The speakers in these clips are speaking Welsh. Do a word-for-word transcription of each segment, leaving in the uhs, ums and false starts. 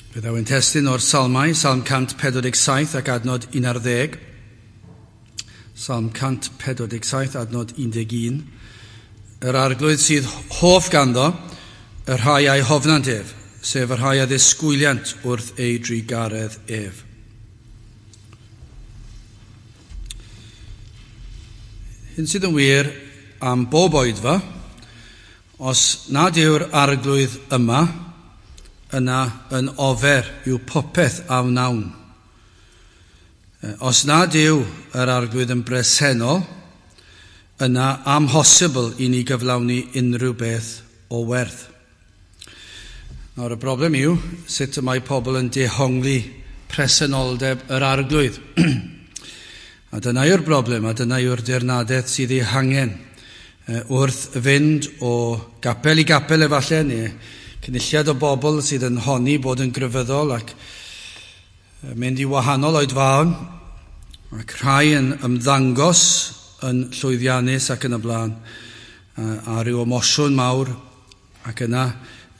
Fe ddaw ein testun o'r Salmau, Salm cant pedwar deg saith ac adnod un ar ddeg. Salm cant pedwar deg saith, adnod un deg un. Yr arglwydd sydd hoff ganddo, y rhai a'i hofnant ef, sef y rhai a ddisgwyliant wrth ei drugaredd ef. Hyn sydd yn wir am bob oedfa, os nad yw'r arglwydd yma, yna yn ofer yw popeth a wnawn. Os nad yw yr arglwydd yn bresennol, yna amhosibl i ni gyflawni unrhyw beth o werth. Nawr y broblem yw sut y mae pobl yn dehongli presenoldeb yr arglwydd. A dyna yw'r broblem, a dyna yw'r dirnadaeth sydd ei hangen wrth fynd o gapel i gapel efallai, neu cynulliad o bobl sydd yn honni bod yn grefyddol ac mynd i wahanol oedfaon, ac rhai yn ymddangos yn llwyddiannus ac yn y blaen, a rhyw emosiwn mawr, ac yna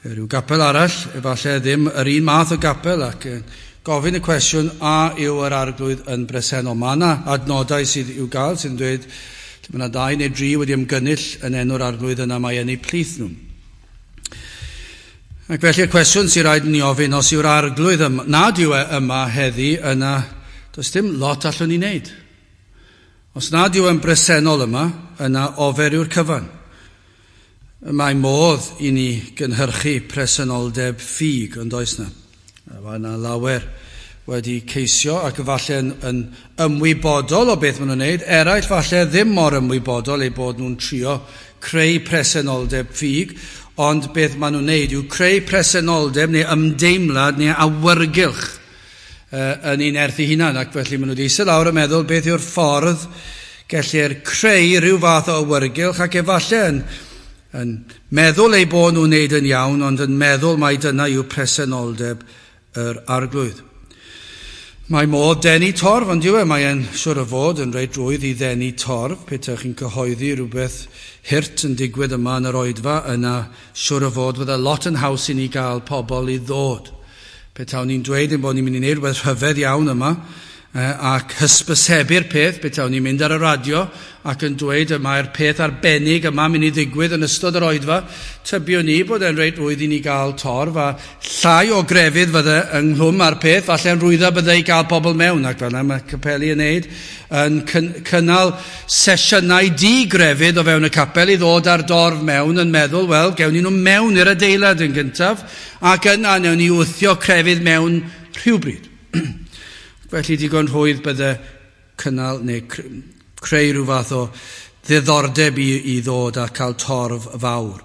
rhyw gapel arall, efallai ddim yr un math o gapel, ac gofyn y cwestiwn, a yw yr arglwydd yn bresennol? Mae yna adnodau sydd i'w gael sydd yn dweud, lle mae yna dau neu dri wedi ymgynnull yn enw'r arglwydd, yna mae yn eu plith nhw. Ac felly'r cwestiwn sy'n rhaid ni ofyn, os yw'r arglwydd yma, nad yw e yma heddi, yna does dim lot allwn ni wneud. Os nad yw e'n bresennol yma, yna ofer yw'r cyfan. Mae modd i ni gynhyrchu presenoldeb ffug, ond oes na. Mae yna lawer wedi ceisio ac falle yn, yn ymwybodol o beth maen nhw'n wneud. Eraill falle ddim mor ymwybodol eu bod nhw'n trio creu presenoldeb ffug, ond beth maen nhw'n wneud yw creu presenoldeb neu ymdeimlad neu awyrgylch uh, yn ein nerth eu hunan. Ac felly maen nhw wedi eistedd lawr a meddwl beth yw'r ffordd gellir creu rhyw fath o awyrgylch, ac efallai yn, yn meddwl eu bod nhw'n wneud yn iawn, ond yn meddwl mai dyna yw presenoldeb yr arglwydd. Mae modd denu torf, ond yw e, mae'n siwr o fod yn reit rwydd i ddenu torf. Petech chi'n cyhoeddi rhywbeth hurt yn digwydd yma yn yr oedfa, yna siwr o fod fydde lot yn haws i ni gael pobl i ddod. Petawn ni'n dweud ein bod ni'n mynd i wneud rhywbeth rhyfedd iawn yma, ac hysbysebu'r peth, petawn ni'n mynd ar y radio ac yn dweud y mae'r peth arbennig yma mynd i ddigwydd yn ystod yr oedfa, tybiwn ni bod e'n reit rwydd i ni gael torf, a llai o grefydd fydde ynghlwm â'r peth, falle'n rwydda bydde i gael pobl mewn, ac fel yna mae capeli yn neud, yn cynnal sesiynau di-grefydd o fewn y capel i ddod â'r dorf mewn yn meddwl, wel, gewn ni nhw mewn i'r adeilad yn gyntaf, ac yna newn ni wthio crefydd mewn rhywbryd. Felly digon rhwydd bydde cynnal neu creu rhyw fath o ddiddordeb i, i ddod a cael torf fawr.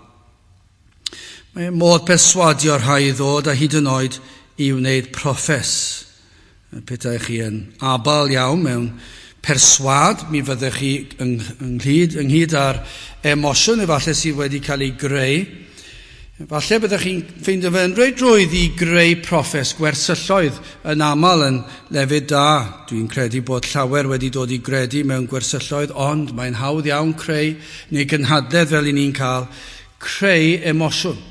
Mae modd perswadio rhai i ddod a hyd yn oed i wneud proffes. Petai chi yn abal iawn mewn perswad, mi fyddech chi ynghyd, ynghyd â'r emosiwn efallai sydd wedi cael ei greu. Falle byddech chi'n ffeindio fe'n reit rwydd i greu proffes gwersylloedd yn aml yn lefydd da. Dwi'n credu bod llawer wedi dod i gredu mewn gwersylloedd, ond mae'n hawdd iawn creu, neu gynhadledd fel i ni'n cael, creu emosiwn.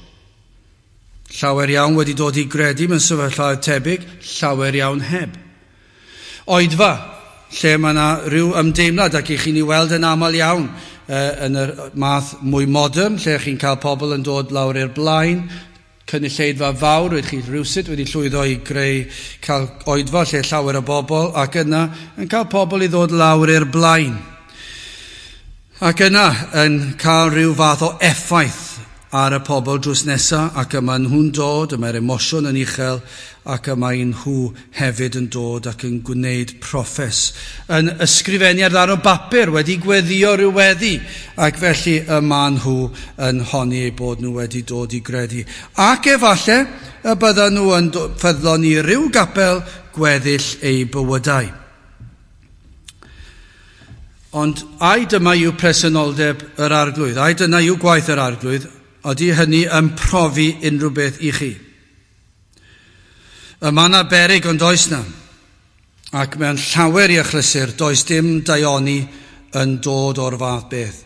Llawer iawn wedi dod i gredu mewn sefyllfaoedd tebyg, llawer iawn heb. Oedfa, lle mae yna rhyw ymdeimlad ac i chi'n ei weld yn aml iawn, yn y math mwy modern, lle chi'n cael pobl yn dod lawr i'r blaen, cynulleidfa fawr, wedi chi rhywsut wedi llwyddo i greu cael oedfa lle llawer o bobl, ac yna yn cael pobl i ddod lawr i'r blaen. Ac yna yn cael rhyw fath o effaith ar y pobl drws nesaf, ac yma nhw'n dod, y mae'r emosiwn yn uchel, ac y mae nhw hefyd yn dod ac yn gwneud proffes. Yn ysgrifennu ar ddarn o bapur, wedi gweddio rhyw weddi, ac felly y mae nhw yn honni eu bod nhw wedi dod i gredu. Ac efallai y byddan nhw yn ffyddlon i ryw gapel gweddill eu bywydau. Ond ai dyma yw presenoldeb yr arglwydd, ai dyna yw gwaith yr arglwydd, ydy hynny yn profi unrhyw beth i chi? Y mae yna beryg ond oes na, ac mewn llawer i achlysur does dim daioni yn dod o'r fath beth.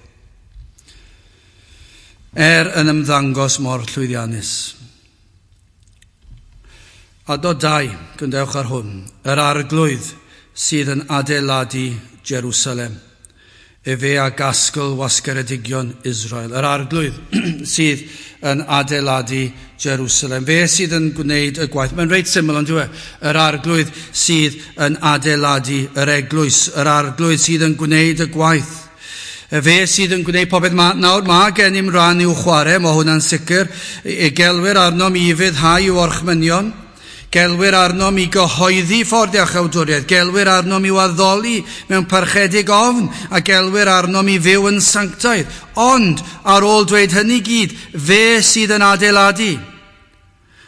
Er yn ymddangos mor llwyddiannus. Adnod dau, gwrandewch ar hwn. Yr arglwydd sydd yn adeiladu Jerusalem. Efe a gasgl wasgaredigion Israel. Yr arglwydd sydd yn adeiladu Jerusalem. Fe sydd yn gwneud y gwaith. Mae'n reit syml ond yw e? Yr arglwydd sydd yn adeiladu yr eglwys. Yr arglwydd sydd yn gwneud y gwaith. Fe sydd yn gwneud popeth. Ma, nawr mae gennym ran i'w chwarae, mae hwnna'n sicr. E gelwir arnom i ufuddhau i'w orchmynion. Gelwir arnom i gyhoeddi ffordd iachawdwriaeth. Gelwir arnom i'w addoli mewn parchedig ofn a gelwir arnom i fyw yn sanctaidd. Ond ar ôl dweud hynny gyd, fe sydd yn adeiladu.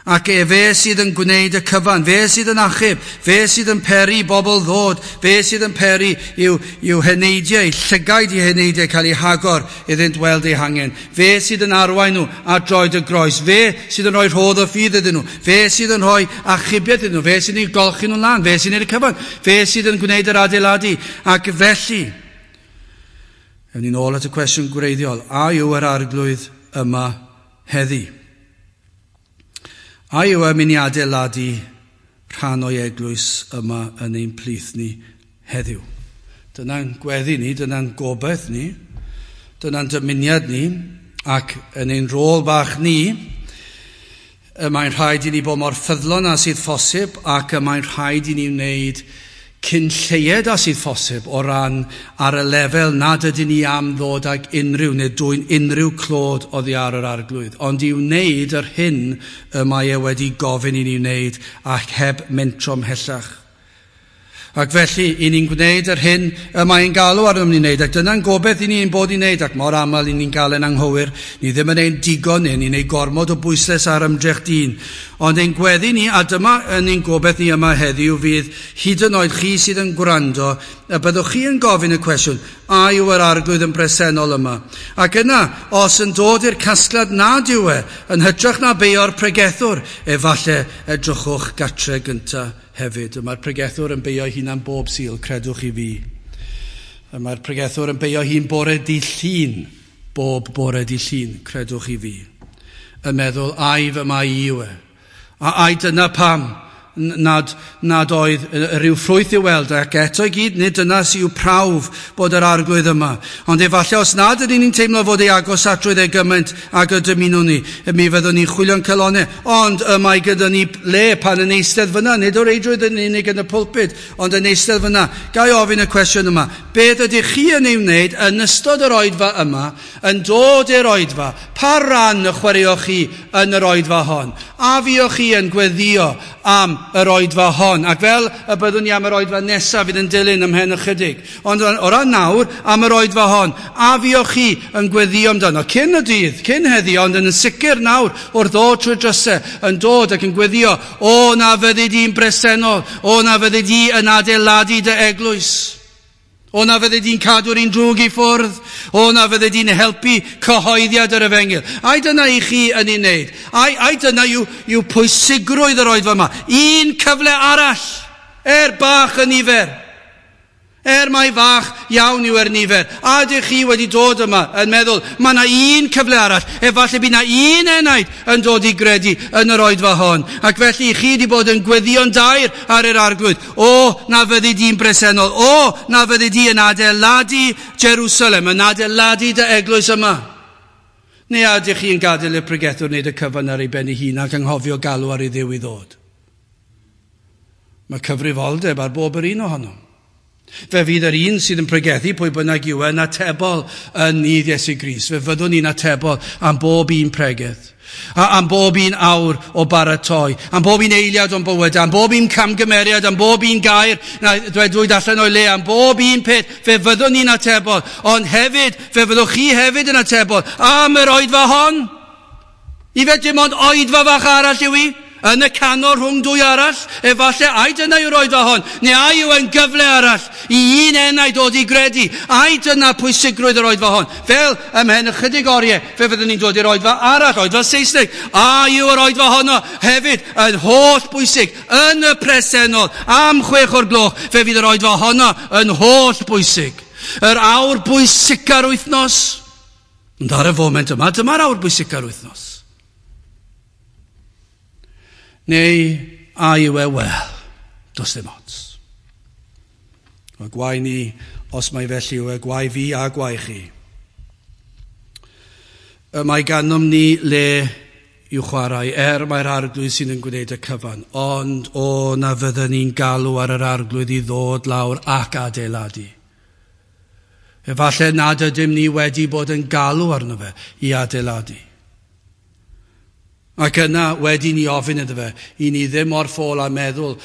Ac efe sydd yn gwneud y cyfan, fe sydd yn achub, fe sydd yn peri bobl ddod, fe sydd yn peri i'w, i'w heneidiau, llygaid i heneidiau cael eu hagor iddynt weld eu hangen. Fe sydd yn arwain nhw at droed y groes, fe sydd yn rhoi rhodd o ffydd iddyn nhw, fe sydd yn rhoi achubiaeth iddyn nhw, fe sydd yn golchi nhw'n lan, fe sy'n gwneud y cyfan, fe sydd yn gwneud yr adeiladu. Ac felly, ewn ni'n ôl at y cwestiwn gwreiddiol, a yw yr arglwydd yma heddi? A yw e'n mynd i adeiladu rhan o'i eglwys yma yn ein plith ni heddiw? Dyna'n gweddi ni, dyna'n gobaith ni, dyna'n dymuniad ni, ac yn ein rôl bach ni, y mae'n rhaid i ni bod mor ffyddlon â sydd phosib, ac y mae'n rhaid i ni wneud cyn lleied â sydd phosib o ran ar y lefel nad ydyn ni am ddod ag unrhyw neu dwyn unrhyw clod oddi ar yr arglwydd, ond i wneud yr hyn y mae e wedi gofyn i ni wneud ac heb mentro ymhellach. Ac felly, i ni'n gwneud yr hyn y mae'n galw arnom ni'n wneud, ac dyna'n gobaith i ni'n bod i'n wneud, ac mor aml i ni'n gael yn anghywir, ni ddim yn ein digon ni, ni'n ei gormod o bwyslais ar ymdrech dyn. Ond ein gweddi ni, a dyma yn ein gobaith ni yma heddiw, fydd hyd yn oed chi sydd yn gwrando, y byddwch chi yn gofyn y cwestiwn, a yw yr arglwydd yn bresennol yma? Ac yna, os yn dod i'r casgliad nad yw e, yn hytrach na beio'r pregethwr, efallai edrychwch gatre gyntaf hefyd. Mae'r pregethwr yn beio hunan bob Sul, credwch i fi. Mae'r pregethwr yn beio hun bore dydd Llun, bob bore dydd Llun, credwch i fi. Yn meddwl, ai fy mai i yw e. A ai dyna pam nad, nad oedd rhyw ffrwyth i'w weld, ac eto i gyd, nid dyna sy'n prawf bod yr arglwydd yma. Ond efallai os nad ydyn ni'n teimlo fod ei agosatrwydd e gymaint ag y dymunwn ni, mi fyddwn ni'n chwilio'n calonnau. Ond y mae gyda ni le pan yn eistedd fyna, nid o reidrwydd yn unig yn y pulpud, ond yn eistedd fyna. Ga i ofyn y cwestiwn yma, beth ydych chi yn ei wneud yn ystod yr oedfa yma, yn dod i'r oedfa? Pa ran y chwaraeoch chi yn yr oedfa hon? A fuoch chi yn gweddio am yr oedfa hon? Ac fel y byddwn ni am yr oedfa nesaf fydd yn dilyn ymhen ychydig. Ond o ran nawr, am yr oedfa hon, a fuoch chi yn gweddio amdano? Cyn y dydd, cyn heddi, ond yn sicr nawr, wrth ddod trwy'r drysau, yn dod ac yn gweddio, o na fyddi di'n bresennol, o na fyddi di yn adeiladu dy eglwys. O na fyddi di'n cadw'r un drwg i ffwrdd. O na fyddi di'n helpu cyhoeddiad yr efengyl. Ai dyna i chi yn ei wneud? Ai, ai dyna yw, yw pwysigrwydd yr oedfa yma? Un cyfle arall, er bach y nifer. Er mai fach iawn yw er nifer. A ydych chi wedi dod yma yn meddwl, mae yna un cyfle arall, efallai bydd yna un enaid yn dod i gredu yn yr oedfa hon. Ac felly chi wedi bod yn gweddïo'n daer ar yr arglwydd. O, na fyddi di'n bresennol. O, na fyddi di yn adeiladu Jerusalem, yn adeiladu dy eglwys yma. Neu a ydych chi'n gadael i'r pregethwr wneud y cyfan ar ei ben ei hun ac anghofio galw ar ei Dduw i ddod? Mae cyfrifoldeb ar bob yr un ohonom. Fe fydd yr un sydd yn pregethu pwy bynnag yw yn atebol yn nydd Iesu Grist. Fe fyddwn ni'n atebol am bob un pregeth, a am bob un awr o baratoi, am bob un eiliad o'n bywyd, am bob un camgymeriad, am bob un gair na dwedwyd allan o'i le, am bob un peth. Fe fyddwn ni'n atebol, ond hefyd, fe fyddwch chi hefyd yn atebol am yr oedfa hon. I fe dim ond oedfa fach arall yw i? Yn y canol rhwng dwy arall, efallai ai dyna yw'r oedfa hon, neu ai yw e'n gyfle arall i un enaid dod i gredu, ai dyna pwysigrwydd yr oedfa hon. Fel ymhen ychydig oriau, fe fyddwn ni'n dod i'r oedfa arall, oedfa Saesneg, a yw yr oedfa honno hefyd yn holl bwysig, yn y presennol, am chwech o'r gloch, fe fydd yr oedfa honno yn holl bwysig. Yr awr bwysica'r wythnos, ond ar y foment yma, dyma'r awr bwysica'r wythnos. Neu A yw e wel, does dim ots. Wel, gwae ni, os mai felly yw e, gwae fi a gwae chi. Y mae ganom ni le i'w chwarae, er mae'r Arglwydd sydd yn gwneud y cyfan, ond o na fydden ni'n galw ar yr Arglwydd i ddod lawr ac adeiladu. Efallai nad ydym ni wedi bod yn galw arno fe i adeiladu. Ac yna wedi ni ofyn iddo fe, i ni ddim o'r ffôl a meddwl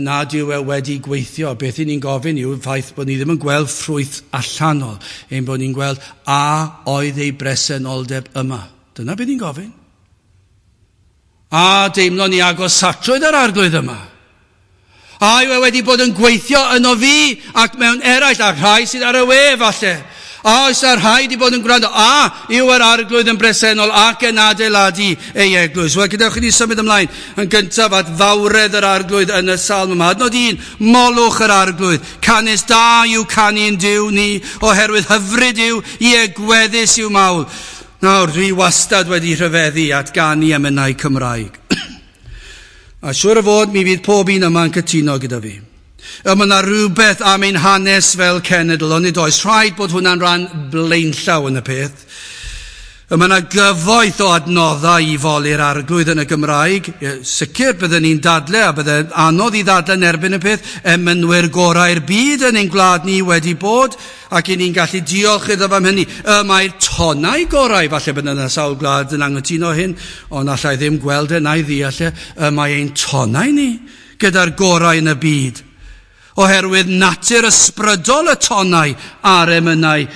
nad yw e wedi gweithio. Beth i ni'n gofyn yw ffaith bod ni ddim yn gweld ffrwyth allanol, ein bod ni'n gweld a oedd ei bresenoldeb yma. Dyna beth ni'n gofyn. A deimlo ni agosatrwydd yr Arglwydd yma. A yw e wedi bod yn gweithio yno fi ac mewn eraill, a rhai sydd ar y we falle. A oes a rhai wedi bod yn gwrando. A yw yr Arglwydd yn bresennol ac yn adeiladu ei eglwys. Wel, gadewch i ni symud ymlaen yn gyntaf at fawredd yr Arglwydd yn y salm yma. Adnod un, molwch yr Arglwydd. Canys da yw canu'n Duw ni, oherwydd hyfryd yw, ie gweddus yw mawl. Nawr, dwi wastad wedi rhyfeddu at ganu emynau Cymraeg. A siŵr o fod mi fydd pob un yma'n cytuno gyda fi. Y mae yna rhywbeth am ein hanes fel cenedl, ond nid oes rhaid bod hwnna'n rhan blaenllaw yn y peth. Y mae yna gyfoeth o adnoddau i foli'r Arglwydd yn y Gymraeg. Sicr byddwn ni'n dadle, a bydde'n anodd i ddadle yn erbyn y peth, emynwyr gorau'r byd yn ein gwlad ni wedi bod, ac i ni'n gallu diolch iddo am hynny. Y mae'r tonau gorau, falle bydd yna sawl gwlad yn anghytuno hyn, ond allai ddim gweld e na'i ddeall e. Y mae ein tonau ni gyda'r gorau yn y byd, oherwydd natur ysbrydol y tonau a'r emynau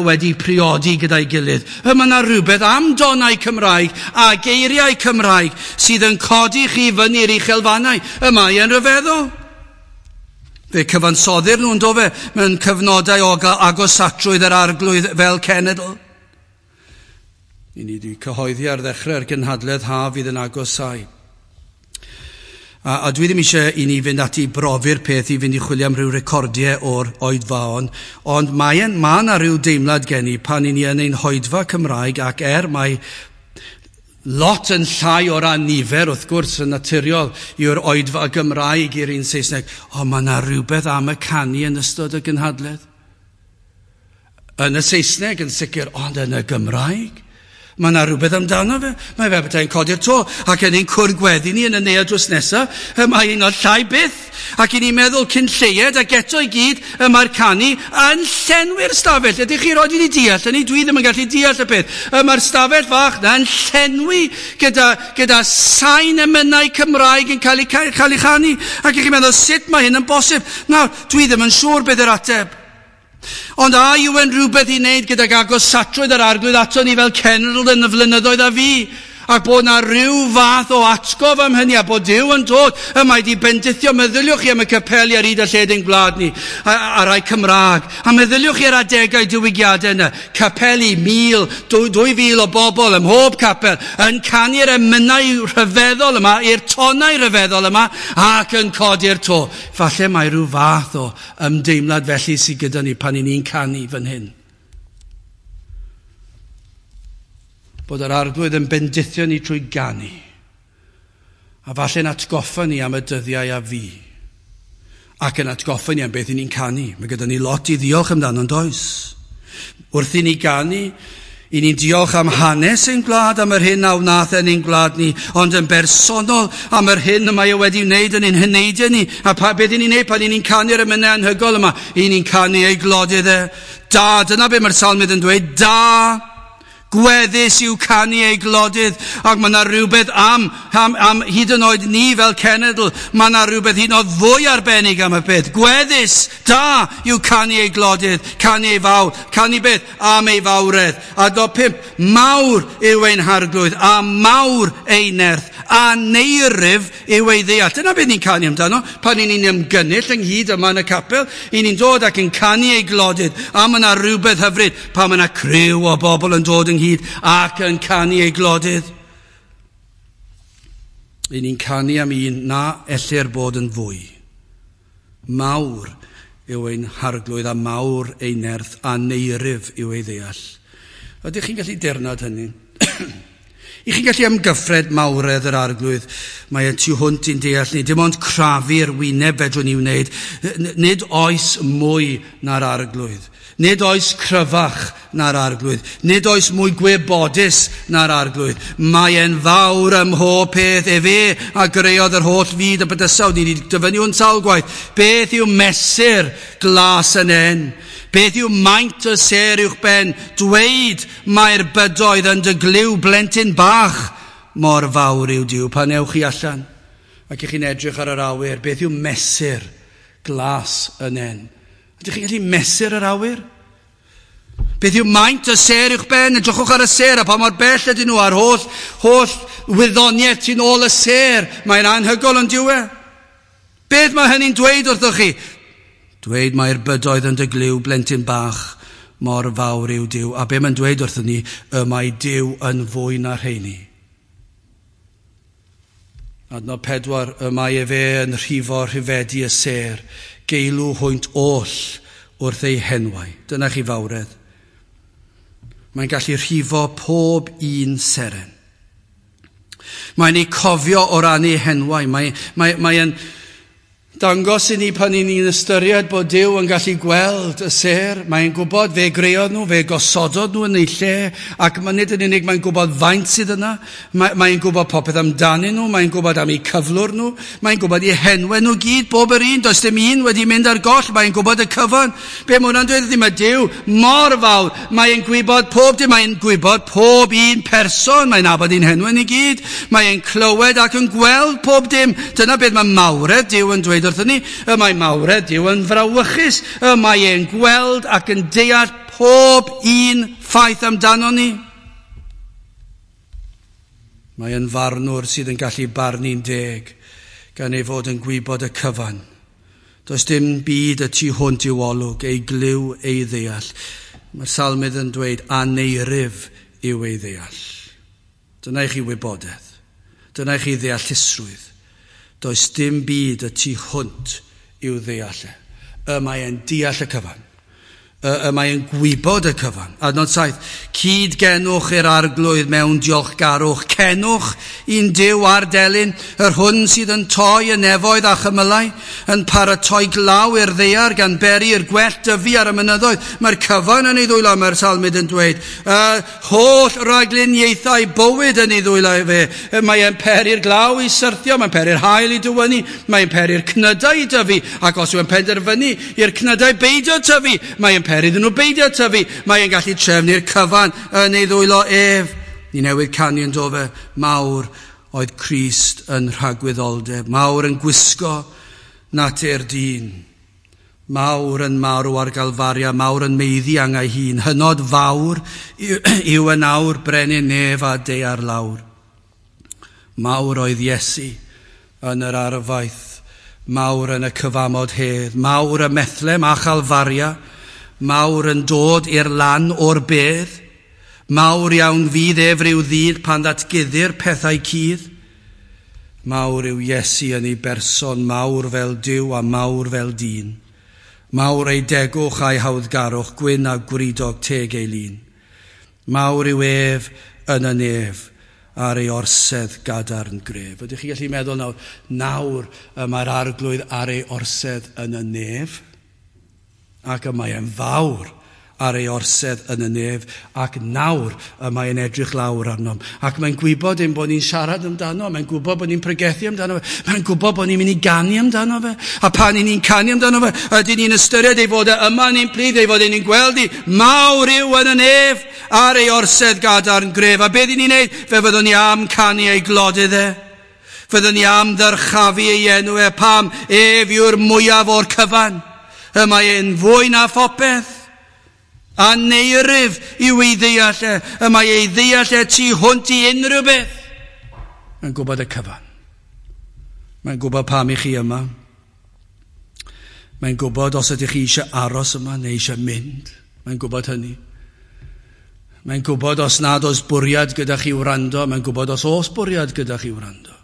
wedi priodi gyda'i gilydd. Y mae yna rhywbeth am donau Cymraeg a geiriau Cymraeg sydd yn codi chi fyny'r uchelfannau. Y mae yn rhyfeddol. Fe cyfansoddir nhw'n do fe mewn cyfnodau o agosatrwydd yr Arglwydd fel cenedl. I ni wedi cyhoeddi ar ddechrau'r gynhadledd haf fydd yn agosau. A, a dwi ddim eisiau i ni fynd ati i brofi'r peth i fynd i chwilio am ryw recordiau o'r oedfaon, ond mae ma yna rhyw deimlad gen i pan i ni yn ein hoedfa Cymraeg, ac er mae lot yn llai o ran nifer, wrth gwrs, yn naturiol yw'r oedfa Gymraeg i'r un Saesneg, ond mae yna rhywbeth am y canu yn ystod y gynhadledd. Yn y Saesneg yn sicr, ond yn y Gymraeg. Mae yna rhywbeth amdano fe. Mae fe petai'n codi'r to ac yn ein cwrdd gweddi ni yn y neuadd drws nesaf. Mae un o'r llai byth. Ac i ni'n meddwl cyn lleied ac eto i gyd y mae'r canu yn llenwi'r stafell. Ydych chi roed i ni deall hynny? Dwi ddim yn gallu deall y peth. Y mae'r stafell fach na yn llenwi gyda, gyda sain emynau Cymraeg yn cael ei, cael ei chanu. Ac i chi'n meddwl sut mae hyn yn bosib? Nawr, dwi ddim yn siŵr beth yw'r ateb. Ond a yw yn rhywbeth i wneud gydag agosatrwydd yr Arglwydd ato ni fel cenedl yn y flynyddoedd a fi, ac bod na rhyw fath o atgof am hynny, a bod Duw yn dod, y mae di bendithio, meddyliwch chi am y capeli ar hyd a lled ein gwlad ni, a, a rai Cymraeg, a meddyliwch chi ar adegau diwygiadau yna, capeli mil, dwy, dwy fil o bobl ym mhob capel, yn canu'r emynau rhyfeddol yma, i'r tonau rhyfeddol yma, ac yn codi'r to. Falle mae rhyw fath o ymdeimlad felly sydd gyda ni pan i ni'n canu fan hyn. Bod yr Arglwydd yn bendithio ni trwy ganu, a falle'n atgoffa ni am y dyddiau a fi, ac yn atgoffa ni am beth i ni'n canu. Mae gyda ni lot i ddiolch amdano, yn does? Wrth i ni ganu, i ni'n diolch am hanes ein gwlad, am yr hyn a wnaeth yn ein gwlad ni, ond yn bersonol am yr hyn y mae e wedi wneud yn ein heneidiau ni. A pa, beth i ni'n wneud pan i ni'n canu'r emynau anhygoel yma? I ni'n canu ei glodydd e. Da, dyna beth mae'r salmydd yn dweud, da. Gweddus yw canu ei glodydd, ac mae yna rhywbeth am, am, am hyd yn oed ni fel cenedl, mae yna rhywbeth hyd yn oed fwy arbennig am y peth. Gweddus, da yw canu ei glodydd, canu ei fawl, canu beth am ei fawredd. A do pump, mawr yw ein Harglwydd, a mawr ei nerth, a neirif yw ei ddeall. Dyna beth ni'n canu amdano, pan ni'n ymgynnull ynghyd yma yn y capel, i ni'n dod ac yn canu ei glodydd, a mae yna rhywbeth hyfryd pan mae yna criw o bobl yn dod ynghyd ac yn canu ei glodydd. I ni'n canu am un na ellir bod yn fwy. Mawr yw ein Harglwydd a mawr ei nerth a neirif yw ei ddeall. Ydych chi'n gallu dirnad hynny? I chi'n gallu amgyffred mawredd yr Arglwydd, mae e tu hwnt i'n deall ni. Dim ond crafu'r wyneb fedrwn ni wneud. Nid oes mwy na'r Arglwydd. Nid oes cryfach na'r Arglwydd. Nid oes mwy gwybodus na'r Arglwydd. Mae e'n fawr ym mhob peth. Efe a greodd yr holl fyd y bydysawd. Ni wedi dyfynnu hwn sawl gwaith. Beth yw mesur glas y nen? Beth yw maint y sêr uwch ben? Dweud mae'r bydoedd yn dy glyw blentyn bach mor fawr yw Duw. Pan ewch chi allan ac ych chi'n edrych ar yr awyr, beth yw mesur glas y nen? Ydych chi'n gallu mesur yr awyr? Beth yw maint y sêr uwch ben? Edrychwch ar y sêr a pa mor bell ydyn nhw a'r holl, holl wyddoniaeth sy'n ôl y sêr. Mae'n anhygoel yn dyw e. Beth mae hynny'n dweud wrthoch chi? Dweud mae'r bydoedd yn dy glyw blentyn bach mor fawr yw Duw. A be mae'n dweud wrthyn ni, y mae Duw yn fwy na rheini. Adnod pedwar, y mae efe yn rhifo rhifedi y sêr, geilw hwynt oll wrth ei henwau. Dyna chi fawredd. Mae'n gallu rhifo pob un seren. Mae'n ei cofio o ran ei henwau. Mae, mae, mae'n dangos i ni pan i ni'n ystyried bod Duw yn gallu gweld y sêr. Mae'n gwybod fe greodd nhw, fe gosododd nhw yn eu lle, ac mae nid yn unig mae'n gwybod faint sydd yna, mae, mae'n gwybod popeth amdanyn nhw, mae'n gwybod am eu cyflwr nhw, mae'n gwybod eu henwau nhw gyd, bob yr un, does dim un wedi mynd ar goll, mae'n gwybod y cyfan. Be mae hwnna'n dweud ydy, mae Duw mor fawr, mae'n gwybod pob dim, mae'n gwybod pob un person, mae'n nabod ein henwau ni gyd, mae'n clywed ac yn gweld pob dim. Dyna beth mae mawredd Duw yn dweud wrthyn ni. Y mae mawredd Duw yn frawychus, y mae e'n gweld ac yn deall pob un ffaith amdano ni. Mae e'n farnwr sydd yn gallu barnu'n deg, gan ei fod yn gwybod y cyfan. Does dim byd y tu hwnt i'w olwg, ei glyw, ei ddeall. Mae'r salmydd yn dweud, aneirif yw ei ddeall. Dyna i chi wybodaeth. Dyna i chi ddeallusrwydd. Does dim byd y tu hwnt i'w ddeall e. Y mae e'n deall y cyfan. Y, y mae e'n gwybod y cyfan. Adnod saith, cyd-genwch i'r Arglwydd mewn diolchgarwch. Cenwch i'n Duw ar delyn, yr hwn sydd yn toi y nefoedd a chymylau, yn paratoi glaw i'r ddaear gan beri i'r gwellt dyfu ar y mynyddoedd. Mae'r cyfan yn ei ddwylo, mae'r salmydd yn dweud. Uh, holl ragluniaethau bywyd yn ei ddwylo fe. Mae e'n peri'r glaw i syrthio, mae'n peri'r haul i dywynnu, mae'n peri'r cnydau i dyfu, ac os yw'n penderfynu i'r cnydau beidio tyfu, mae'n peri iddyn nhw beidio tyfu. Mae'n gallu trefnu'r cyfan yn ei ddwylo ef. Ni newydd canu yn do fe, mawr oedd Crist yn rhagwyddoldeb, mawr yn gwisgo natur dyn, mawr yn marw ar Galfaria, mawr yn meiddi angau hun, hynod fawr yw yn awr brenin nef a daear lawr. Mawr oedd Iesu yn yr arfaeth, mawr yn y cyfamod hedd, mawr y Methlem a Chalfaria, mawr yn dod i'r lan o'r bedd, mawr iawn fydd ef ryw ddydd pan ddatguddir pethau cudd. Mawr yw Iesu yn ei berson, mawr fel Duw a mawr fel dyn. Mawr ei degwch a'i hawddgarwch, gwyn a gwridog teg ei lun. Mawr yw ef yn y nef ar ei orsedd gadarn gref. Ydych chi gallu meddwl nawr, nawr y mae'r Arglwydd ar ei orsedd yn y nef? Ac y mae e'n fawr ar ei orsedd yn y nef, ac nawr y mae e'n edrych lawr arnom. Ac mae'n gwybod ein bod ni'n siarad amdano, mae'n gwybod bod ni'n pregethu amdano fe, mae'n gwybod bod ni'n mynd i ganu amdano fe. A pan ni'n canu amdano fe, ydyn ni'n ystyried ei fod e yma yn ein plith, ei fod e'n gweld i, mawr yw yn y nef ar ei orsedd gadarn gref. A beth ni'n neud? Fe fyddwn ni am canu ei glodydd e. Fyddwn ni am ddyrchafu ei enw e, pam ef yw'r mwyaf o'r cyfan. Y mae e'n fwy na phopeth. Aneirif yw ei ddeall e. Y mae ei ddeall e tu hwnt i unrhyw beth. Mae'n gwybod y cyfan. Mae'n gwybod pam i chi yma. Mae'n gwybod os ydych chi eisiau aros yma neu eisiau mynd. Mae'n gwybod hynny. Mae'n gwybod os nad oes bwriad gyda chi wrando. Mae'n gwybod os oes bwriad gyda chi wrando.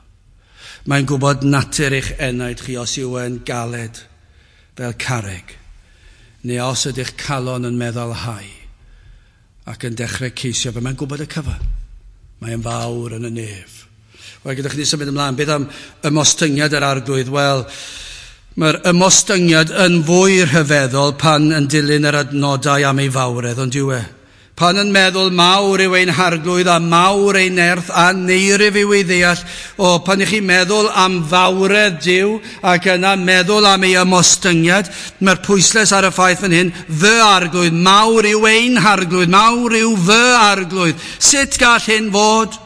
Mae'n gwybod natur eich enaid chi os yw e'n galed fel carreg, neu os ydych calon yn meddwl hau ac yn dechrau ceisio fe. Mae'n gwybod y cyfan. Mae'n fawr yn y nef. Wel, gyda chi symud ymlaen, beth am ymostyngiad yr Arglwydd? Wel, mae'r ymostyngiad yn fwy rhyfeddol pan yn dilyn yr adnodau am ei fawredd, ond yw e? Pan yn meddwl mawr yw ein Harglwydd a mawr ein nerth a neirif yw ei ddeall, o, pan ych chi'n meddwl am fawredd Duw ac yna meddwl am ei ymostyngiad, mae'r pwyslais ar y ffaith fan hyn, fy Arglwydd, mawr yw ein Harglwydd, mawr yw fy Arglwydd. Sut gall hyn fod?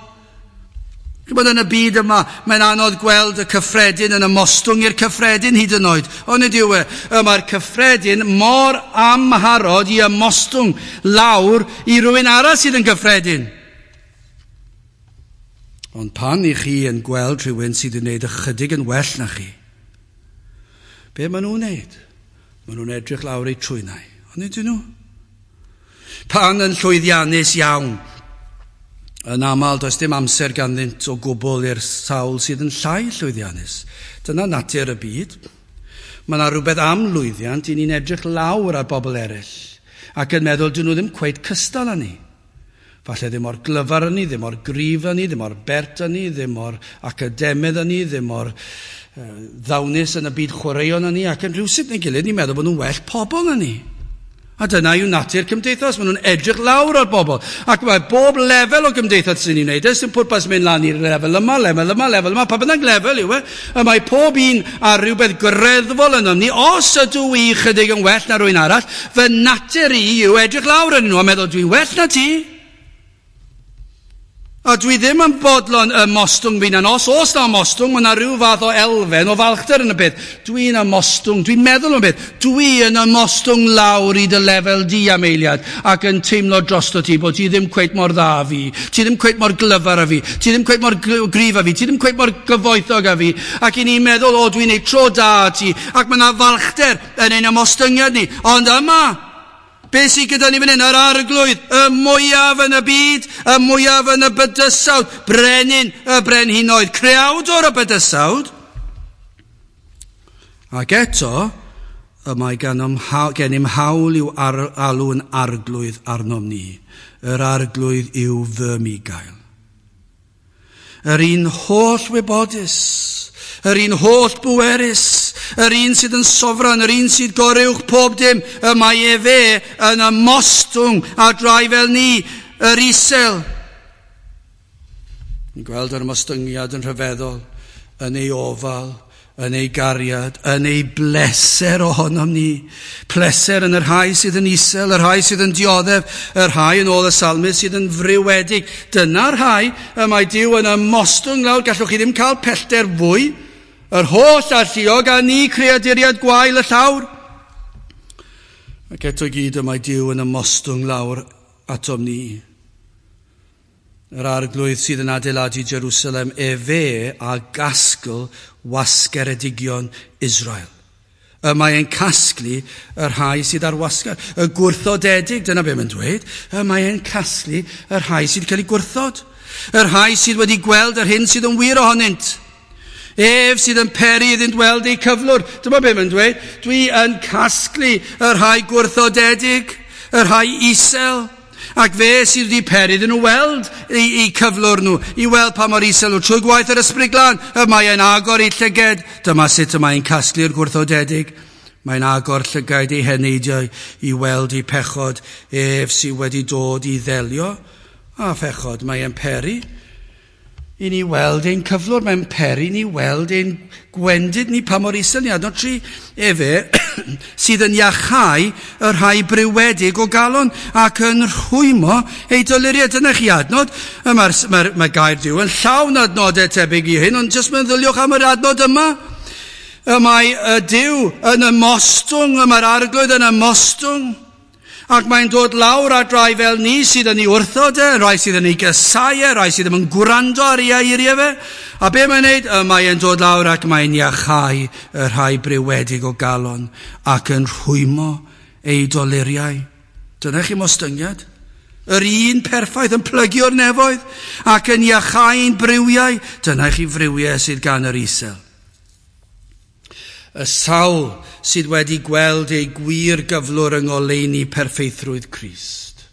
Chybod, yn y byd yma, mae'n anodd gweld y cyffredin yn ymostwng i'r cyffredin hyd yn oed. Ond nid yw e. Mae'r cyffredin mor amharod i ymostwng lawr i rywun arall sydd yn gyffredin. Ond pan i chi yn gweld rhywun sydd yn gwneud ychydig yn well na chi, be maen nhw'n wneud? Maen nhw'n edrych lawr eu trwynau. Ond nid ydyn nhw. Pan yn llwyddiannus iawn, yn aml, does dim amser ganddynt o gwbl i'r sawl sydd yn llai llwyddiannus. Dyna natur y byd. Mae yna rhywbeth am lwyddiant i ni'n edrych lawr ar bobl eraill ac yn meddwl dyn nhw ddim cweit cystal â ni. Falle ddim mor glyfar â ni, ddim mor gryf â ni, ddim mor bert â ni, ddim mor academydd â ni, ddim mor uh, ddawnus yn y byd chwaraeon â ni, ac yn rhywsut neu gilydd ni'n meddwl bod nhw'n well pobl na ni. A dyna yw natur cymdeithas. Maen nhw'n edrych lawr ar bobl. Ac mae bob lefel o gymdeithas sy'n ei wneud. Sy'n pwrpas mynd lan i'r lefel yma, lefel yma, lefel yma. Pa bynnag lefel yw e. Y mae pob un ar rhywbeth greddfol yno ni. Os ydw i chydig yn well na rhywun arall, fy natur i yw edrych lawr arnyn nhw a meddwl dwi'n well na ti. A dwi ddim yn bodlon ymostwng fi na. Os oes na ymostwng, mae yna rhyw fath o elfen o falchder yn y beth. Dwi'n ymostwng, dwi'n meddwl am beth. Dwi yn ymostwng lawr i dy lefel di am eiliad ac yn teimlo drosto ti bod ti ddim cweit mor dda fi, ti ddim cweit mor glyfar â fi, ti ddim cweit mor gryf â fi, ti ddim cweit mor gyfoethog â fi. Ac i ni'n meddwl, o, dwi'n neud tro da ti. Ac mae yna falchder yn ein ymostyngiad ni. Ond yma, be sydd gyda ni fan hyn? Yr Arglwydd, y mwyaf yn y byd, y mwyaf yn y bydysawd, brenin y brenhinoedd, creawdwr y bydysawd. Ac eto, y mae gennym hawl i'w alw yn Arglwydd arnom ni. Yr Arglwydd yw fy migail. Yr un holl wybodus, yr un holl bwerus, yr un sydd yn sofran, yr un sydd goruwch pob dim, y mae efe yn ymostwng a drai fel ni, yr isel. Ni'n gweld yr ymostyngiad yn rhyfeddol, yn ei ofal, yn ei gariad, yn ei bleser ohonom ni. Pleser yn y rhai sydd yn isel, y rhai sydd yn dioddef, y rhai yn ôl y salmydd sydd yn friwedig. Dyna'r rhai y mae Duw yn ymostwng lawr. Gallwch chi ddim cael pellter fwy. Yr holl alluog a ni creaduriad gwael y llawr. Ac eto gyd y mae Duw yn ymostwng lawr atom ni. Yr Arglwydd sydd yn adeiladu Jerusalem, efe a gasgl wasgeredigion Israel. Y mae e'n casglu y rhai sydd ar wasgar. Y gwrthodedig, dyna be mae'n dweud, y mae e'n casglu y rhai sydd cael ei gwrthod. Y rhai sydd wedi gweld yr hyn sydd yn wir ohonynt. Ef sydd yn peri iddynt weld eu cyflwr. Dyma be mae'n dweud, dwi yn casglu y rhai gwrthodedig, y rhai isel. Ac fe sydd wedi peri iddyn nhw weld eu cyflwr nhw, i weld pa mor isel nhw. Trwy gwaith yr Ysbryd Glân, y mae e'n agor eu llyged. Dyma sut y mae'n casglu'r gwrthodedig. Mae'n agor llygaid eu heneidiau i weld eu pechod. Ef sydd wedi dod i ddelio a phechod. Mae e'n peri i ni weld ein cyflwr. Mae'n peri ni weld ein gwendid ni pa mor isel ni. Adnod tri, efe sydd yn iachau y rhai briwedig o galon ac yn rhwymo ei doluriau. Dyna chi adnod. Mae'r mae, mae gair Duw yn llawn adnodau tebyg i hyn, ond jyst meddyliwch am yr adnod yma. Y mae y Duw yn ymostwng, y mae'r Arglwydd yn ymostwng. Ac mae'n dod lawr at rai fel ni sydd yn ei wrthod e, rai sydd yn ei gysau e, rai sydd ddim yn gwrando ar ei eiriau fe. A be mae'n neud? Y mae'n dod lawr ac mae'n iachau y rhai briwedig o galon ac yn rhwymo ei doluriau. Dyna chi mostyngiad. Yr un perffaith yn plygu o'r nefoedd ac yn iachau'n briwiau. Dyna chi friwiau sydd gan yr isel. Y sawl sydd wedi gweld ei gwir gyflwr yng ngoleuni perffeithrwydd Crist.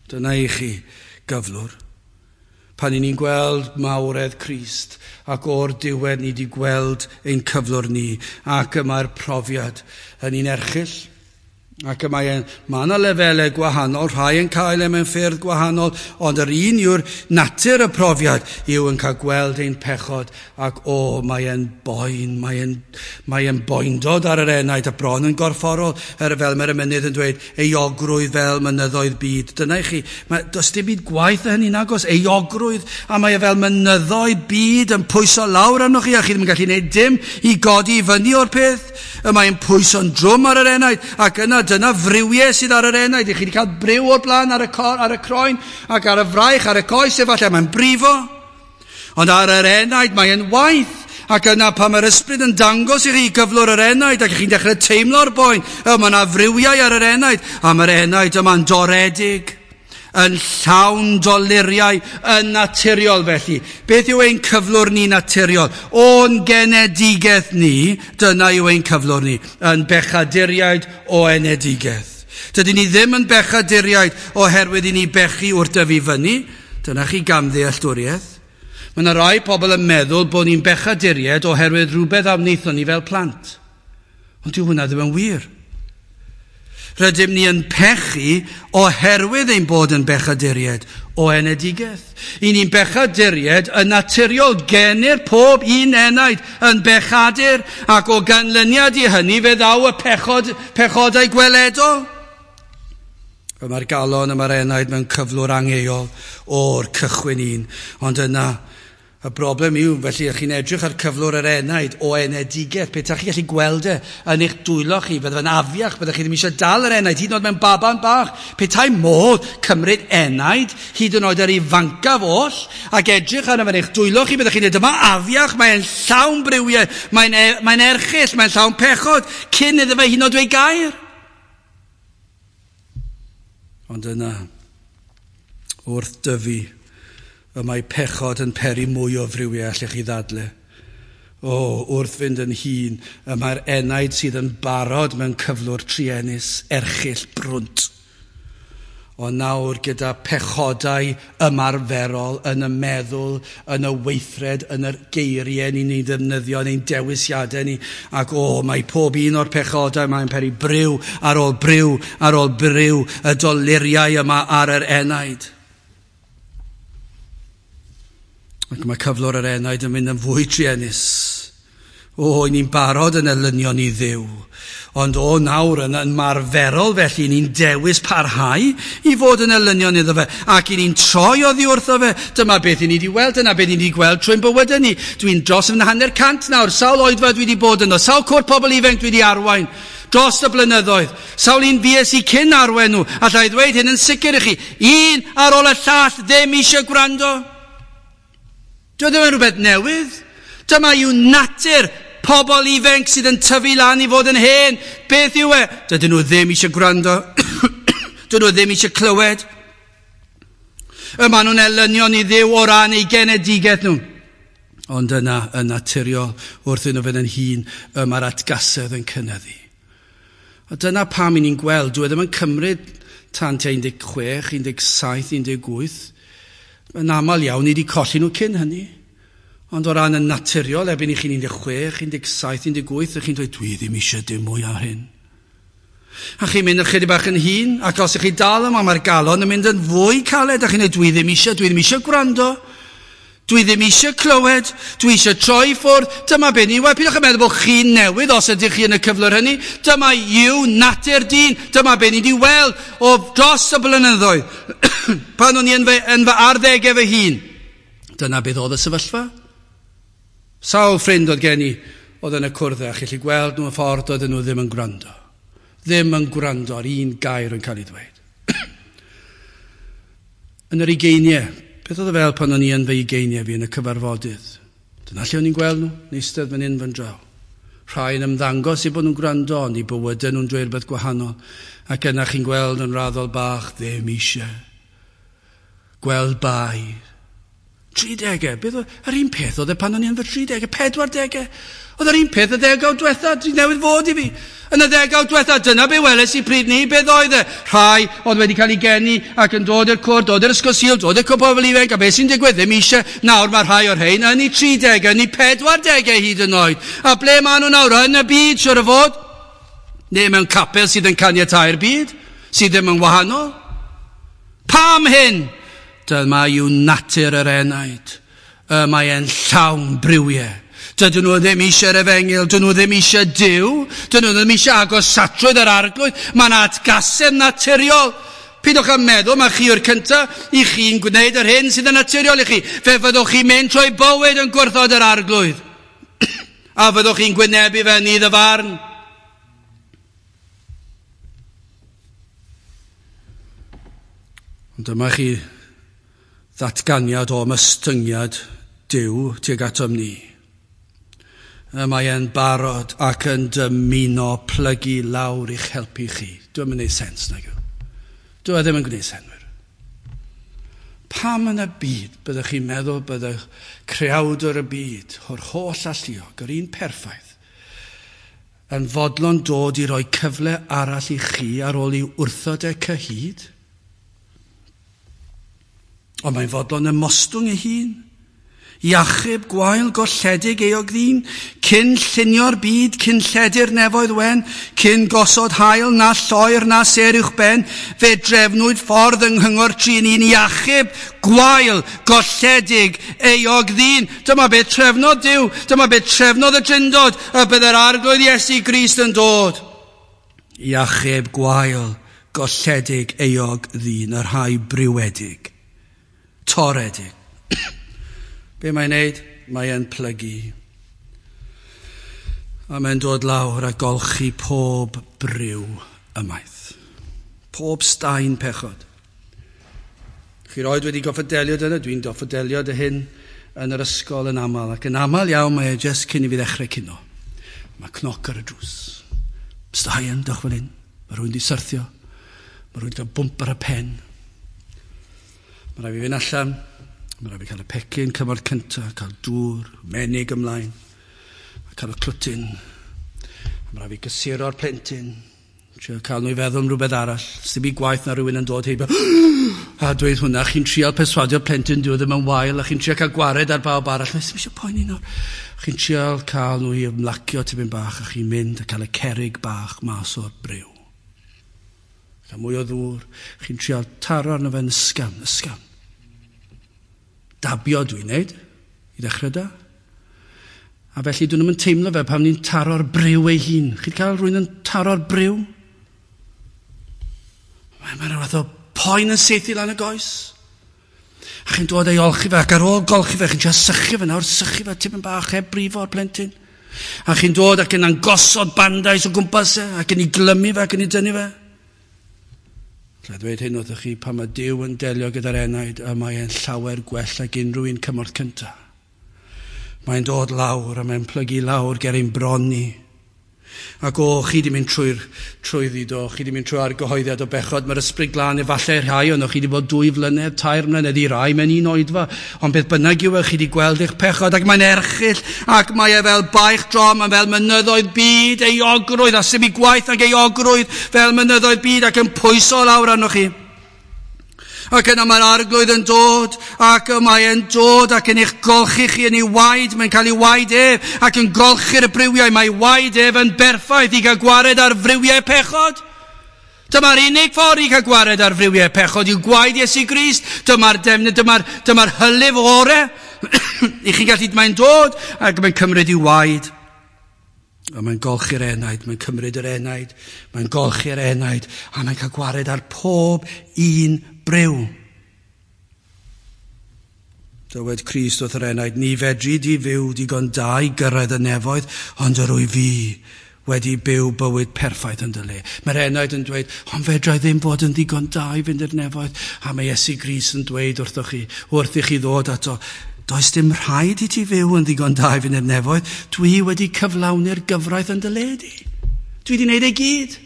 Dyna i chi gyflwr. Pan i ni'n gweld mawredd Crist, ac o'r diwedd ni wedi gweld ein cyflwr ni, ac y mae'r profiad yn un erchyll. Ac y mae, mae yna lefelau gwahanol, rhai yn cael e mewn ffyrdd gwahanol, ond yr un yw'r natur y profiad yw yn cael gweld ein pechod, ac o, mae e'n boen, mae e'n, mae e'n boendod ar yr enaid a bron yn gorfforol, er fel mae'r emynydd yn dweud, euogrwydd fel mynyddoedd byd. Dyna i chi, mae, does dim byd gwaith na hynny nagos, euogrwydd, a mae e fel mynyddoedd byd yn pwyso lawr arnoch chi, a chi ddim yn gallu gwneud dim i godi i fyny o'r peth. Y mae'n pwyso'n drwm ar yr enaid, ac yna dyna friwiau sydd ar yr enaid. I chi wedi cael briw o'r blaen ar y, cor, ar y croen ac ar y fraich, ar y coes, efallai mae'n brifo. Ond ar yr enaid mae'n waith. Ac yna pan mae'r ysbryd yn dangos i chi gyflwr yr enaid ac chi'n dechrau teimlo'r boen, y mae yna friwiau ar yr enaid, a mae'r enaid yma'n doredig, yn llawn doluriau, yn naturiol felly. Beth yw ein cyflwr ni naturiol? O'n genedigaeth ni, dyna yw ein cyflwr ni, yn bechaduriaid o enedigaeth. Dydyn ni ddim yn bechaduriaid oherwydd i ni bechu wrth dyfu fyny. Dyna chi gamddealltwriaeth. Mae yna rai pobl yn meddwl bod ni'n bechaduriaid oherwydd rhywbeth a wnaethon ni fel plant. Ond dyw hwnna ddim yn wir. Rydym ni yn pechu oherwydd ein bod yn bechaduriaid o enedigaeth. I ni'n bechaduriaid yn naturiol, genir pob un enaid yn bechadur, ac o ganlyniad i hynny fe ddaw y pechod, pechodau gweledol. Y mae'r galon y mae'r enaid mewn cyflwr angheuol o'r cychwyn un. Ond yna, y broblem yw, felly, chi'n edrych ar cyflwr yr enaid o enedigaeth, pe ta chi gallu gweld e yn eich dwylo chi, bydde fe'n afiach, bydde chi ddim eisiau dal yr enaid, hyd yn oed mewn baban bach. Pe tai modd cymryd enaid, hyd yn oed yr ifancaf oll, ac edrych arno fe'n eich dwylo chi, bydde chi'n dweud, dyma afiach, mae'n llawn briwiau, mae'n e, mae'n erchyll, mae'n llawn pechod, cyn iddo fe hyd yn oed dweud gair. Ond yna, wrth dyfu, y mae pechod yn peri mwy o friwiau allech chi ddadle. O, wrth fynd yn hŷn, y mae'r enaid sydd yn barod mewn cyflwr truenus, erchyll, brwnt. Ond nawr gyda pechodau ymarferol yn y meddwl, yn y weithred, yn yr geiriau ni'n ei ddefnyddio, yn ein dewisiadau ni. Ac o, mae pob un o'r pechodau mae'n peri briw ar ôl briw ar ôl briw, y doluriau yma ar yr enaid. Ac mae cyflwr yr enaid yn mynd yn fwy truenus. O, i ni'n barod yn elynion i Dduw. Ond o nawr yn ymarferol felly, ni'n dewis parhau i fod yn elynion iddo fe. Ac i ni'n troi oddi wrtho fe. Dyma beth i ni wedi weld, dyna beth i ni wedi gweld trwy'n bywydau ni. Dwi'n dros yn hanner cant nawr, sawl oedfa dwi wedi bod yno, sawl cwr pobl ifanc dwi wedi arwain dros y blynyddoedd. Sawl un fues i cyn arwain nhw. Alla i ddweud hyn yn sicr i chi, un ar ôl y llall ddim eisiau gwrando. Dyw e ddim yn rhywbeth newydd. Dyma yw natur pobl ifanc sydd yn tyfu lan i fod yn hen. Beth yw e? Dydyn nhw ddim eisiau gwrando. Dydyn nhw ddim eisiau clywed. Y maen nhw'n elynion i Dduw o ran eu genedigaeth nhw. Ond yna, yn naturiol, wrth iddyn nhw fynd yn hŷn, y mae'r atgasedd yn cynyddu. A dyna pam i ni'n gweld, dyw e ddim yn cymryd tan tua un deg chwech, un deg saith, un deg wyth. Yn aml iawn, ni wedi colli nhw cyn hynny. Ond o ran yn naturiol, erbyn i chi'n un deg chwech, un deg saith, un deg wyth, ych chi'n dweud, dwi ddim eisiau dim mwy ar hyn. A chi'n mynd ychydig bach yn hŷn, ac os ych chi dal yma, mae'r galon yn mynd yn fwy caled, a chi'n dweud, dwi ddim eisiau, dwi ddim eisiau gwrando, dwi ddim eisiau clywed, dwi eisiau troi ffwrdd. Dyma beth ni, wel, pidwch yn meddwl bod chi'n newydd os ydych chi yn y cyflwr hynny. Dyma yw natur dyn, dyma beth ni wedi weld o dros y blynyddoedd. Pan o'n i yn fy, yn fy arddegau fy hun, dyna beth oedd y sefyllfa. Sawl ffrind oedd gen i oedd yn y cwrdd, a chi'n gallu gweld nhw y ffordd oedden nhw ddim yn gwrando. Ddim yn gwrando ar un gair yn cael ei ddweud. Yn yr ugeiniau, beth oedd e fel pan o'n i yn fy ugeiniau fi yn y cyfarfodydd? Dyna lle o'n i'n gweld nhw, yn eistedd fan hyn fan draw. Rhai yn ymddangos i bod nhw'n gwrando, ond i bywydau nhw'n dweud rhywbeth gwahanol. Ac yna chi'n gweld yn raddol bach, ddim eisiau. Gweld bai. Tridegau, beth oedd, yr un peth oedd e pan o'n i yn fy tridegau, pedwardegau. Oedd yr un peth y ddegawd diwetha, dwi newydd fod i fi. Yn y ddegawd diwetha, dyna be weles i pryd ni, beth oedd e? Rhai oedd wedi cael ei geni ac yn dod i'r cwr, dod i'r ysgol Sul, dod i'r cwp o bobl ifanc, a beth sy'n digwydd ddim eisiau. Nawr mae rhai o'r rhain yn eu tridegau, yn eu pedwardegau hyd yn oed. A ble maen nhw nawr? Yn y byd, siwr o fod? Neu mewn capel sydd yn caniatáu'r byd, sydd ddim yn wahanol. Pam hyn? Dyma yw natur yr enaid. Y mae e'n llawn briwiau. Dydyn nhw ddim eisiau'r efengyl, dydyn nhw ddim eisiau Duw, dydyn nhw ddim eisiau agosatrwydd yr arglwydd. Mae'n atgasedd naturiol. Pidwch â meddwl, mae chi yw'r cyntaf i chi'n gwneud yr hyn sydd yn naturiol i chi. Fe fyddwch chi'n mynd trwy bywyd yn gwrthod yr arglwydd. A fyddwch chi'n gwynebu fe yn iddo farn. Ond dyma chi ddatganiad o ymostyngiad Duw tuag atom ni. Mae e'n barod ac yn dymuno plygu lawr i'ch helpu chi. Dwi'n mynd i sens nag yw. Dwi e ddim yn gwneud senwyr. Pam yn y byd byddwch chi'n meddwl byddwch creawdwr y byd o'r holl alluog, yr un perffaith, yn fodlon dod i roi cyfle arall i chi ar ôl i wrthod e cyhyd? Ond mae'n fodlon ymostwng ei hun, i achub gwael golledig eog ddyn, cyn llunio'r byd, cyn lledu'r nefoedd wen, cyn gosod haul na lloer na sêr uwchben, fe drefnwyd ffordd yng nghyngor tri yn un i achub gwael golledig eog ddyn. Dyma beth trefnodd Duw, dyma beth trefnodd y Drindod, y bydd yr Arglwydd Iesu Grist yn dod. I achub gwael golledig eog ddyn, y rhai briwedig, toredig. Be mae'n neud? Mae e'n plygu. A mae'n dod lawr a golchi pob briw ymaith. Pob staen pechod. Chi roed wedi gorfod delio dyna, dwi'n gorfod delio dy hyn yn yr ysgol yn aml. Ac yn aml iawn mae e jyst cyn i fi ddechrau cino. Mae cnoc ar y drws. Staen, dewch fel hyn. Mae rhywun di syrthio. Mae rhywun di cael bwmp ar y pen. Mae rhaid fi fynd allan. Mae rhaid fi cael y pecyn cymorth cyntaf, cael dŵr, menig ymlaen, a cael y clwtyn. Mae rhaid fi gysuro'r plentyn, trio cael nhw i feddwl am rhywbeth arall. Sdim i gwaith na rhywun yn dod heibio, a dweud hwnna, chi'n trial perswadio'r plentyn, dyw e ddim yn wael, a chi'n trial cael gwared ar bawb arall. Mae ddim eisiau poeni nawr. Chi'n trial cael nhw i ymlacio tipyn bach, a chi'n mynd a cael y cerrig bach mas o'r briw. Cael mwy o ddŵr, chi'n trial taro arno fe'n ysgafn, ysgafn. Dabio dwi'n neud, i ddechrau da. A felly dyn nhw'n teimlo fe pan ni'n taro'r briw ei hun. Chi'n cael rhywun yn taro'r briw? Mae'n ma rhywbeth o poen yn saethu lan y goes. A chi'n dod ei olchi fe, ac ar ôl golchi fe, chi'n trio sychu fe nawr, sychu fe tipyn bach heb brifo'r plentyn. A chi'n dod ac yn gosod bandais o gwmpas e, ac yn ei glymu fe, ac yn ei dynnu fe. Alla dweud hyn wrthych chi, pan mae Duw yn delio gyda'r enaid, y mae e'n llawer gwell ag unrhyw un cymorth cyntaf. Mae'n dod lawr a mae'n plygu lawr ger ein bron ni. Ac o, chi di mynd trwy'r trwyddi do, chi di mynd trwy argyhoeddiad o bechod, mae'r ysbryd glân efallai rhai ond chi di bod dwy flynedd, tair mlynedd i rai mewn un oedfa, ond beth bynnag yw e, chi di gweld eich pechod, ac mae'n erchyll, ac mae e fel baich drom, a fel mynyddoedd byd, euogrwydd, a sy'n gwaith ag euogrwydd, fel mynyddoedd byd, ac yn pwyso lawr arnoch chi. Ac yna mae'r arglwydd yn dod, ac mae e'n dod ac yn eich golchi chi yn ei waed, mae'n cael ei waed ef, ac yn golchi'r briwiau, mae waed ef yn berffaith i gael gwared ar friwiau pechod. Dyma'r unig ffordd i gael gwared ar friwiau pechod yw gwaed Iesu Grist. Dyma'r defnydd, dyma'r, dyma'r hylif ore. I chi'n gallu, mae'n dod ac mae'n cymryd ei waed. A mae'n golchi'r enaid, mae'n cymryd yr enaid, mae'n golchi'r enaid, a mae'n cael gwared ar pob un briw. Dywed Crist wrth yr enaid, ni fedri di fyw digon da i gyrraedd y nefoedd, ond yr wyf fi wedi byw bywyd perffaith yn dy le. Mae'r enaid yn dweud, ond fedra i ddim fod yn ddigon da i fynd i'r nefoedd. A mae Iesu Grist yn dweud wrthoch chi, wrth i chi ddod ato, does dim rhaid i ti fyw yn ddigon da i fynd i'r nefoedd. Dwi wedi cyflawni'r gyfraith yn dy le di. Dwi wedi wneud ei gyd.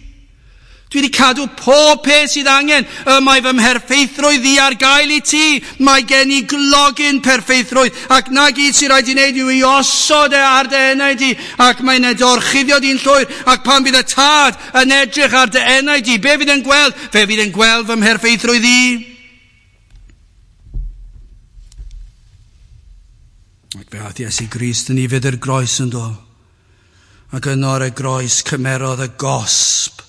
Dwi wedi cadw pob peth sydd angen. Y mae fy mherffeithrwydd i ar gael i ti. Mae gen i glogyn perffeithrwydd. Ac na gyd sy'n rhaid i wneud yw i osod e ar dy enaid di. Ac mae'n edorchuddio di'n llwyr. Ac pan fydd y tad yn edrych ar dy enaid di, be fydd yn gweld? Fe fydd yn gweld fy mherffeithrwydd i. Ac fe aeth Iesu Grist yn ei fydd yr groes yn do. Ac yno ar y groes cymerodd y gosb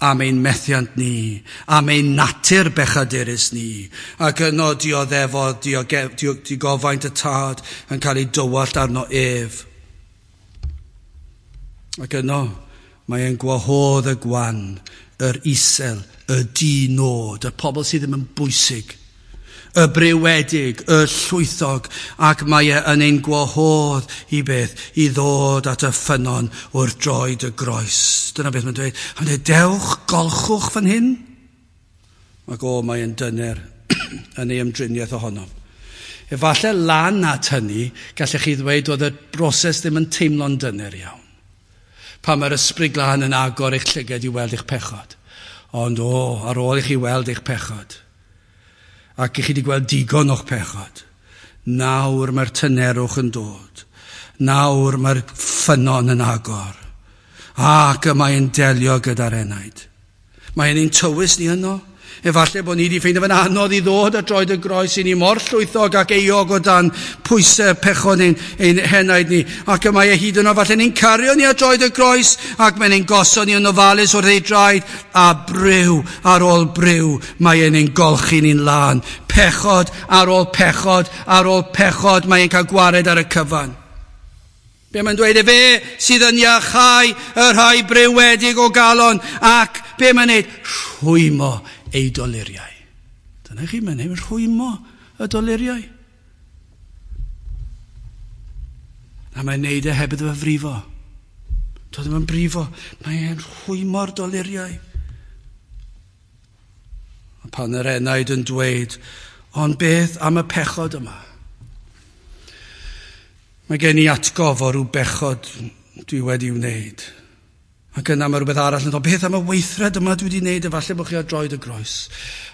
am ein methiant ni, am ein natur bechadurus ni, ac yno dioddefodd digofaint y tad yn cael ei dywallt arno ef. Ac yno mae e'n gwahodd y gwan, yr isel, y di-nod, y pobl sydd ddim yn bwysig, y brewedig, y llwythog, ac mae e yn ein gwahodd i beth, i ddod at y ffynnon wrth droed y groes. Dyna beth mae'n dweud. Mae'n dweud, dewch, golchwch fan hyn. Ac o, mae e'n dyner yn ei ymdriniaeth ohono. Efallai lan at hynny, gallech chi ddweud oedd y broses ddim yn teimlo'n dyner iawn. Pan mae'r Ysbryd Glân yn agor eich llygad i weld eich pechod. Ond o, ar ôl i chi weld eich pechod, ac i chi wedi gweld digon o'ch pechod, nawr mae'r tynerwch yn dod. Nawr mae'r ffynnon yn agor. Ac y mae'n delio gyda'r enaid. Mae'n ein tywys ni yno. Efallai bod ni wedi ffeindio fe'n anodd i ddod at droed y groes i ni mor llwythog ac euog o dan pwysau pechod ein, ein henaid ni. Ac y mae e hyd yno, falle ni'n cario ni at droed y groes ac mae'n ein gosod ni yn ofalus wrth ei draed a briw ar ôl briw mae e'n ein golchi ni'n lân. Pechod ar ôl pechod ar ôl pechod mae e'n cael gwared ar y cyfan. Be mae'n dweud, efe sydd yn iachau y rhai brewedig o galon ac be mae'n neud? Rhwymo ei doluriau. Dyna chi, mae'n neud rhwymo y doluriau. A mae'n neud e heb iddo fe frifo. Doedd ddim yn brifo. Mae'n rhwymo'r doluriau. A pan yr enaid yn dweud, ond beth am y pechod yma? Mae gen i atgof o ryw bechod dwi wedi wneud. Ac yna mae rhywbeth arall yn dod, beth am y weithred yma dwi wedi wneud, efallai bod chi ar droed y groes.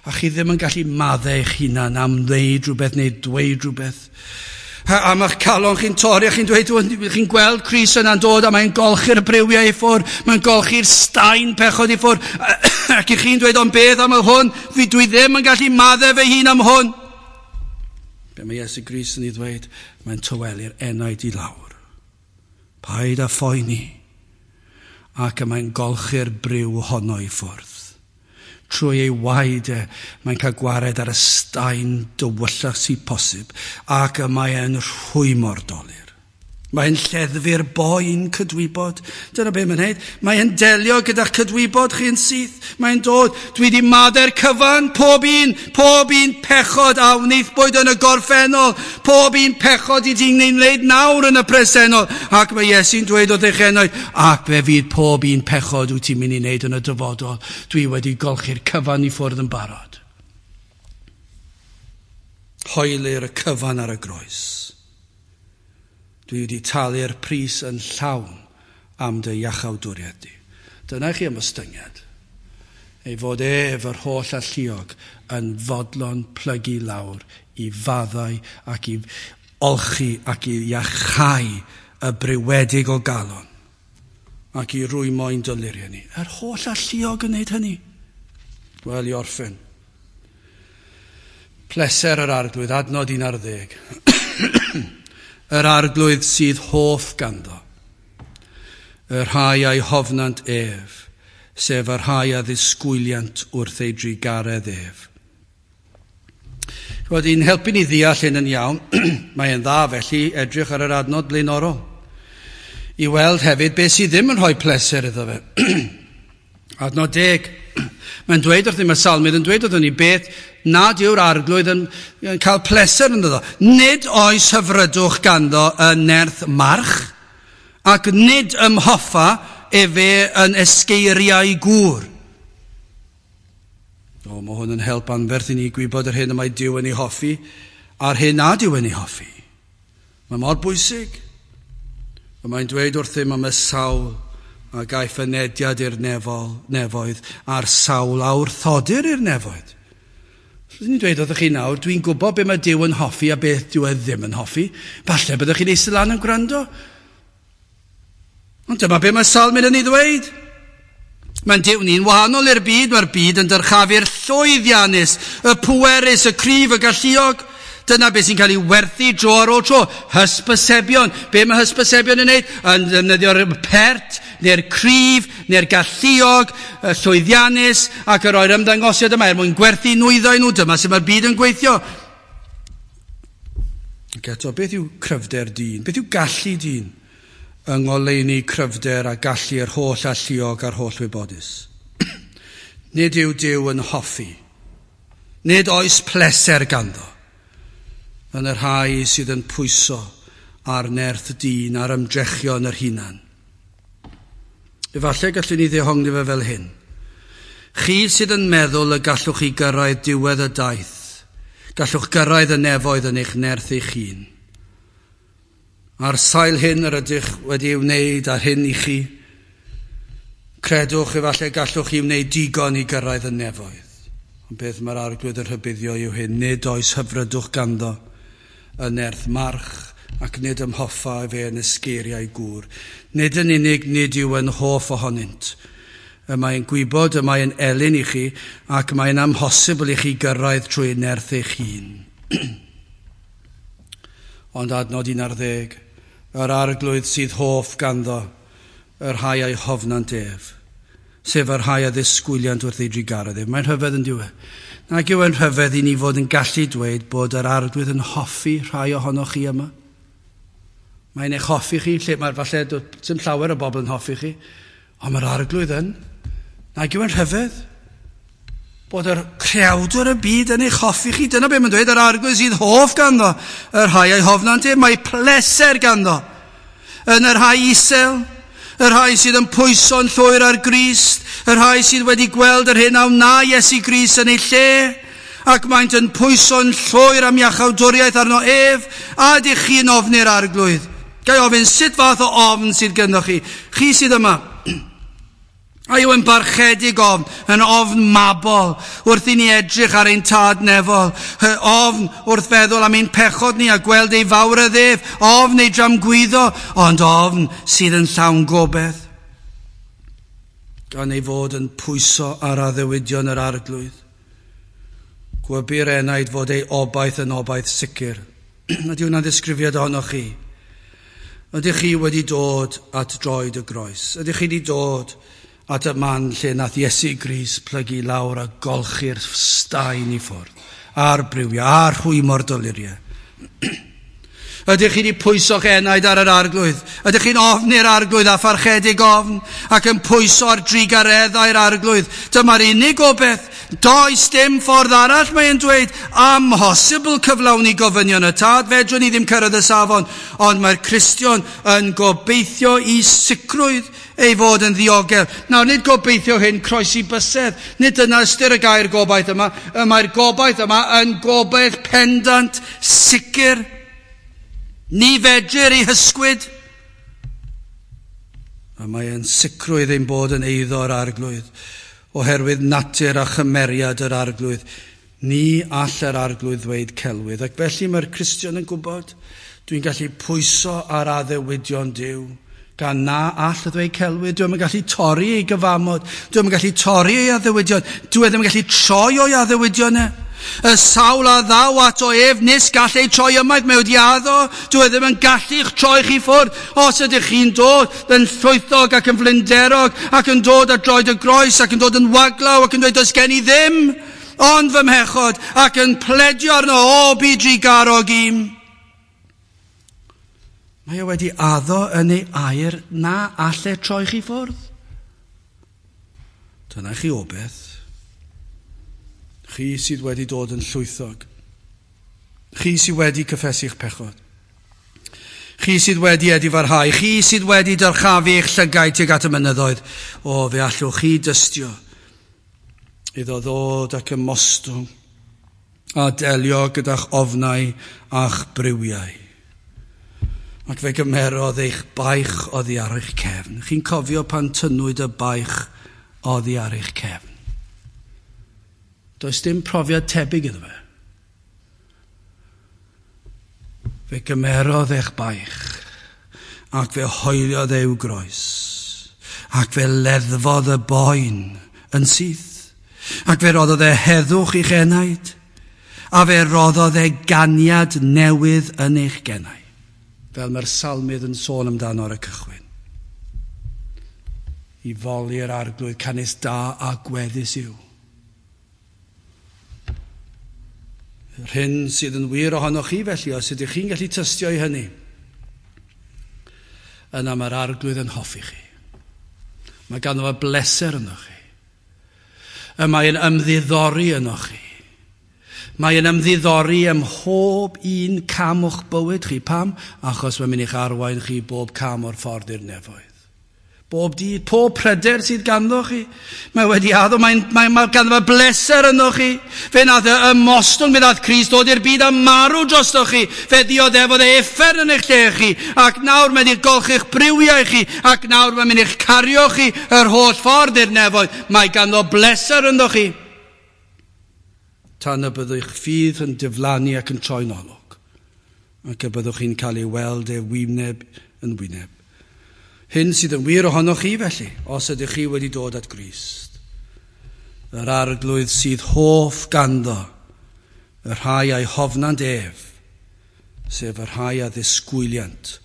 A chi ddim yn gallu maddau eich hunan am wneud rhywbeth neu dweud rhywbeth. A, a mae'ch calon chi'n torri a chi'n dweud, chi'n gweld Crist yna'n dod a mae'n golchi'r briwiau i ffwrdd, mae'n golchi'r staen pechod i ffwrdd. Ac i chi'n dweud, ond beth am y hwn? Fi dwi ddim yn gallu maddau fy hun am hwn. Be mae Iesu Grist yn ei ddweud, mae'n tywelu'r enaid i lawr. Paid â phoeni. Ac y mae'n golchi'r briw honno i ffwrdd. Trwy ei waed e, mae'n cael gwared ar y staen dywyllach sydd posib, ac y mae'n rhwymo'r dolur. Mae'n lleddfu'r boen cydwybod. Dyna be mae'n neud. Mae'n delio gyda'ch cydwybod chi'n syth. Mae'n dod. Dwi wedi maddau'r cyfan, pob un, pob un pechod a wnaethpwyd yn y gorffennol, pob un pechod i ti'n wneud nawr yn y presennol. Ac mae Iesu'n dweud wrth eich enaid, ac fe fydd pob un pechod wyt ti'n mynd i wneud yn y dyfodol. Dwi wedi golchi'r cyfan i ffwrdd yn barod. Hoelir y cyfan ar y groes. Dwi wedi talu'r pris yn llawn am dy iachawdwriaeth di. Dyna chi ymostyngiad. Ei fod ef yr holl alluog yn fodlon plygu lawr i faddau ac i olchi ac i iachau y brewedig o galon ac i rwymo ein doluriau ni. Yr holl alluog yn wneud hynny. Wel, i orffen. Pleser yr Arglwydd, adnod un ar ddeg. Yr Arglwydd sydd hoff ganddo, y rhai a'i hofnant ef, sef y rhai a ddisgwyliant wrth ei drugaredd ef. Ch'mod, i'n helpu ni ddeall hyn yn iawn, mae'n dda felly edrych ar yr adnod blaenorol, i weld hefyd beth sydd ddim yn rhoi pleser iddo fe. Adnod deg, mae'n dweud wrthym, y salmydd yn dweud wrthym ni beth nad yw'r Arglwydd yn, yn cael pleser ynddo. Nid oes hyfrydwch ganddo yn nerth march, ac nid ymhoffa efe yn esgeiriau gŵr. O, mae hwn yn help anferth i ni gwybod yr hyn y mae Duw yn ei hoffi, a'r hyn nad yw yn ei hoffi. Mae mor bwysig. Mae'n dweud wrthym am y sawl a gaiff fynediad i'r nefol, nefoedd a'r sawl a wrthodir i'r nefoedd. Rydyn ni'n dweud wrthych chi nawr, dwi'n gwybod be mae Duw yn hoffi a beth dyw e ddim yn hoffi. Falle byddwch chi'n eistedd lan yn gwrando. Ond dyma be mae Salmyn yn ei ddweud. Mae'n Duw ni'n wahanol i'r byd, mae'r byd yn dyrchafu'r llwyddiannus, y pwerus, y cryf, y galluog. Dyna beth sy'n cael ei werthu dro ar ôl tro. Hysbysebion. Be mae hysbysebion yn wneud? Yn defnyddio'r pert, neu'r cryf, neu'r galluog, y llwyddiannus, ac yr roi'r ymddangosiad yma er mwyn gwerthu nwyddau nhw. Dyma sut mae'r byd yn gweithio. Ac eto, beth yw cryfder dyn? Beth yw gallu dyn? Yng ngoleuni cryfder a gallu yr holl alluog a'r holl wybodus. Nid yw Duw yn hoffi. Nid oes pleser ganddo yn y rhai sydd yn pwyso ar nerth dyn a'r ymdrechion yr hunan. Efallai gallwn ni ddehongli fe fel hyn. Chi sydd yn meddwl y gallwch chi gyrraedd diwedd y daith, gallwch gyrraedd y nefoedd yn eich nerth eich hun. Ar sail hyn yr ydych wedi ei wneud a'r hyn i chi, credwch efallai gallwch chi wneud digon i gyrraedd y nefoedd. Ond beth mae'r Arglwydd yn rhybuddio yw hyn, nid oes hyfrydwch ganddo yn nerth march ac nid ymhoffa efe yn esgeiriau gŵr. Nid yn unig nid yw yn hoff ohonynt. Y mae'n gwybod, y mae'n elyn i chi ac mae'n amhosibl i chi gyrraedd trwy nerth eich hun. Ond adnod un ar ddeg, yr Arglwydd sydd hoff ganddo, y rhai a'i hofnant ef, sef y rhai a ddisgwyliant wrth ei drugaredd ef. Mae'n rhyfedd yn dyw e. Nag yw e'n rhyfedd i ni fod yn gallu dweud bod yr Arglwydd yn hoffi rhai ohonoch chi yma. Mae'n eich hoffi chi, lle mae'r falle dim llawer o bobl yn hoffi chi, ond mae'r Arglwydd yn. Nag yw e'n rhyfedd bod yr creawdwr y byd yn eich hoffi chi. Dyna beth mae'n dweud, yr Arglwydd sydd hoff ganddo, y rhai a'i hofnant ef, mae pleser ganddo. Yn y rhai isel, y rhai sydd yn pwyso'n llwyr ar Grist, y rhai sydd wedi gweld yr hyn a wna Iesu Grist yn ei lle, ac maent yn pwyso'n llwyr am iachawdwriaeth arno ef, a ydych chi'n ofni'r Arglwydd. Ga i ofyn, sut fath o ofn sydd gynnoch chi? Chi sydd yma. A yw yn barchedig ofn, yn ofn mabol, wrth i ni edrych ar ein tad nefol, ofn wrth feddwl am ein pechod ni a gweld ei fawredd ef, ofn ei dramgwyddo, ond ofn sydd yn llawn gobaith. Gan ei fod yn pwyso ar addewidion yr Arglwydd. Gwybu'r enaid fod ei obaith yn obaith sicr. Ydy hwnna'n ddisgrifiad ohonoch chi? Ydych chi wedi dod at droed y groes? Ydych chi wedi dod at y man lle nath Iesu Grist plygu lawr a golchi'r staen i ffwrdd, a'r briwiau, a'r rhwymo'r doluriau? Ydych chi wedi pwyso'ch enaid ar yr Arglwydd? Ydych chi'n ofni'r Arglwydd a pharchedig ofn ac yn pwyso ar drugareddau'r Arglwydd? Dyma'r unig obaith. Does dim ffordd arall, mae'n dweud. Amhosibl cyflawni gofynion y tad. Fedrwn ni ddim cyrraedd y safon. Ond mae'r Cristion yn gobeithio i sicrwydd ei fod yn ddiogel. Nawr, nid gobeithio hyn croesi bysedd. Nid dyna ystyr y gair gobaith yma. Mae'r gobaith yma yn gobaith pendant, sicr. Ni fedrir ei hysgwyd. A mae e'n sicrwydd ein bod yn eiddo'r Arglwydd, oherwydd natur a chymeriad yr Arglwydd. Ni all yr Arglwydd ddweud celwydd. Ac felly mae'r Cristion yn gwybod, dwi'n gallu pwyso ar addewidion Duw, gan na all ddweud celwydd. Dwi'm yn gallu torri ei gyfamod, dwi'm yn gallu torri ei addewidion, dwi ddim yn gallu troi o'i addewidion e. Y sawl a ddaw ato ef nis gall ei troi ymaith, mae wedi addo, dwi ddim yn gallu'ch troi chi ffwrdd. Os ydych chi'n dod yn llwythog ac yn flinderog ac yn dod at droed y groes ac yn dod yn waglaw ac yn dweud does gen i ddim ond fy mhechod ac yn pledio arno, o bu drugarog im. Mae e wedi addo yn ei air na all e troi chi ffwrdd. Dyna chi obaith. Chi sydd wedi dod yn llwythog. Chi sydd wedi cyffesu'ch pechod. Chi sydd wedi edifarhau. Chi sydd wedi dyrchafu eich llygaid tuag at y mynyddoedd. O, fe allwch chi dystio iddo ddod ac ymostwng a delio gyda'ch ofnau a'ch briwiau. Ac fe gymerodd eich baich oddi ar eich cefn. Chi'n cofio pan tynnwyd y baich oddi ar eich cefn. Does dim profiad tebyg iddo fe. Fe gymerodd eich baich ac fe hoeliodd e i'w groes ac fe leddfodd y boen yn syth ac fe roddodd e heddwch i'ch enaid a fe roddodd e ganiad newydd yn eich genau, fel mae'r salmydd yn sôn amdano ar y cychwyn. I foli'r Arglwydd, canys da a gweddus yw. Yr hyn sydd yn wir ohonoch chi felly, os ydych chi'n gallu tystio i hynny, yna mae'r Arglwydd yn hoffi chi. Mae ganddo fo bleser ynoch chi. Y mae'n ymddiddori ynoch chi. Mae'n ymddiddori ym mhob un cam o'ch bywyd chi. Pam? Achos mae'n mynd i'ch arwain chi bob cam o'r ffordd i'r nefoedd. Bob dydd, pob pryder sydd ganddo chi. Mae wedi addo, mae'n, mae, mae ganddo fe bleser yno chi. Fe nath e ymostwng, fe nath Crist dod i'r byd a marw drosto chi. Fe ddioddefodd e uffern yn eich lle chi. Ac nawr mae'n i'ch golchi'ch briwiau chi. Ac nawr mae'n mynd i'ch cario chi yr holl ffordd i'r nefoedd. Mae ganddo bleser yno chi. Tan y byddwch ffydd yn diflannu ac yn troi'n olwg. Ac y byddwch chi'n cael ei weld e wyneb yn wyneb. Hyn sydd yn wir ohonoch chi felly, os ydych chi wedi dod at Grist. Yr Arglwydd sydd hoff ganddo, y rhai a'i hofnant ef, sef y rhai a ddisgwyliant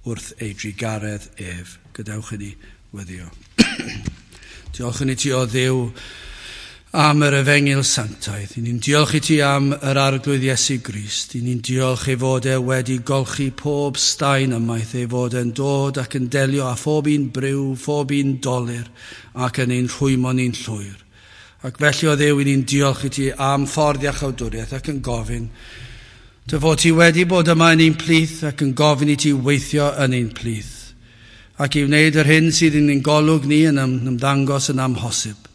wrth ei drugaredd ef. Gadewch i ni weddïo. Diolch i ti o Dduw am yr efengyl sanctaidd. I ni'n diolch i ti am yr Arglwydd Iesu Grist. I ni'n diolch ei fod e wedi golchi pob staen ymaith, ei fod e'n dod ac yn delio â phob un briw, phob un dolur, ac yn ein rhwymo ni'n llwyr. Ac felly o Dduw, i ni'n diolch i ti am ffordd iachawdwriaeth ac yn gofyn dy fod ti wedi bod yma yn ein plith ac yn gofyn i ti weithio yn ein plith ac i wneud yr hyn sydd yn ein golwg ni yn ymddangos yn amhosib.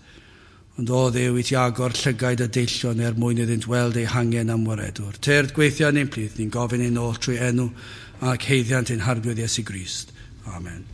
Ond o Dduw, i ti agor llygaid y deillion er mwyn iddynt weld eu hangen am waredwr. Tyrd gweithio yn ein plith, ni'n gofyn ein oll trwy enw ac haeddiant ein Harglwydd Iesu Grist. Amen.